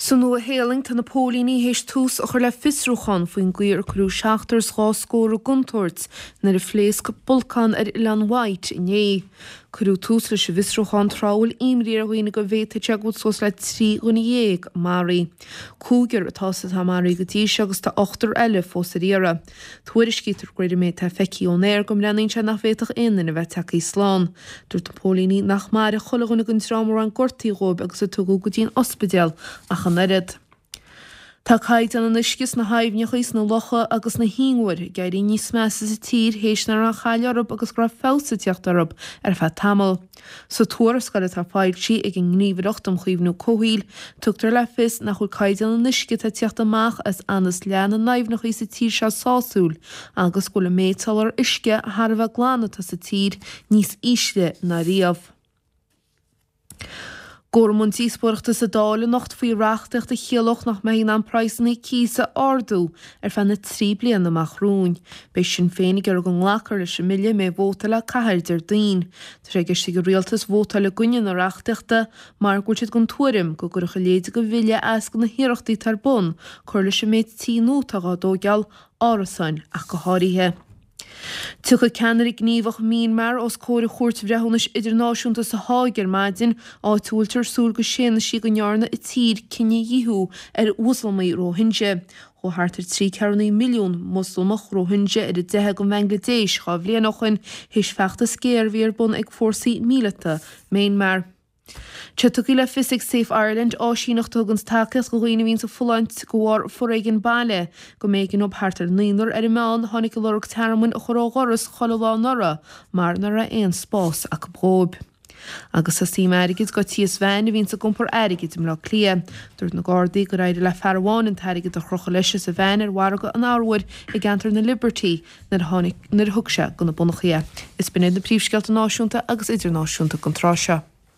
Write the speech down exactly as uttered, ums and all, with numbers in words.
Sa Nua-Shéalainn, tá na póilíní théis tús a chur le fiosrúchán faoin gcaoi ar cuireadh seachtar is dhá scór i gcontúirt nuair a phléasc bolcán ar Oileán Wight inné. Cuireadh tús leis an bhfiosrúchán tráth a bhfuil imní ar dhaoine go bhféadfadh sé go bhfuil suas le trí dhuine dhéag maraithe. Cúigear atá sa atá maraithe go dtí seo agus tá ochtar eile fós ar iarraidh. Tuairiscítear de réir an méid atá feicthe ón aer go mbreathnaíonn sé nach bhféadfadh aon duine a bheith tagtha slán. Dúirt na póilíní nach mairfeadh chuile dhuine den dream a raibh aon gortaithe dhóibh agus a tugadh go dtí an ospidéal ach an oiread. Tá caighdeán an uisce sna haibhneacha, sna locha agus sna hinbhir ag éirí níos measa sa tír théis nach raibh aon chaill orthu agus go raibh feabhas ag teacht orthu ar feadh tamaill. Sa tuarascáil atá foilsithe ag an nGníomhaireacht um Chaomhnú Comhshaoil, tugtar le fios nach bhfuil caighdeán an uisce atá ag teacht amach as anas leath na n-aibhneacha sa tír seo sásúil agus go bhfuil an méid soláthar uisce thar a bheith glan atá sa tír níos ísle ná riamh. Gabhfar i mbun díospóireachta sa Dáil anocht faoi reachtaíocht a chiallódh nach mbeifí in ann praghsanna cíosa a ardú ar feadh na trí bliana amach romhainn. Beidh Sinn Féin ag iarraidh go nglacfar leis an mbille a mbeidh vóta le caitheamh Déardaoin. Tá sé i gceist ag an rialtas vótáil i gcoinne na reachtaíochta mar go bhfuil siad den tuairim go gcuirfeadh a leithéid de bhille as do na hiarrachtaí atá ar bun cur leis an méid tithe nua atá á dtógáil, árasáin ach go háirithe. Tiocfaidh ceannaire gníomhach Myanmar os comhair Chúirt Bhreithiúnais Idirnáisiúnta sa Háig ar maidin, áit a bhfuiltear ag súil go séanfaidh sí go ndearna a tír cinedhíothú ar Mhoslamach Rohingya. Chuaigh thart ar trí ceathrú naoi milliún Moslamach Rohingya ar a dteitheadh go Bangladesh dhá bhliain ó shin théis feachtas géar a bhí ar bun ag fórsaí míleata Myanmar. Tá tugtha le fios ag Safe Ireland, áisíneacht a thugann tacaíocht do dhaoine a bhíonn ag fulaingt de bharr foréigean baile, go mb'éigean dóibh thart ar naonúr ar an meán a tháinig ag lorg tearmainn a chur ó dhoras chuile lá anuraidh mar nach raibh aon spás acu dhóibh. Agus tá suim airgid go tíos veain a bhíonns ag iompar airgid i mBleá Cliath. Dúirt na Gardaí gur éirigh le fear amháin an t-airgead a chrochadh leis as a veain ar mhargadh an arbhair i gceantar na Liberty nuair a tháinig nuair a thug sé go na bonnachaí é. Is b'in iad na príomhscéalta náisiúnta agus idirnáisiúnta don tráth seo.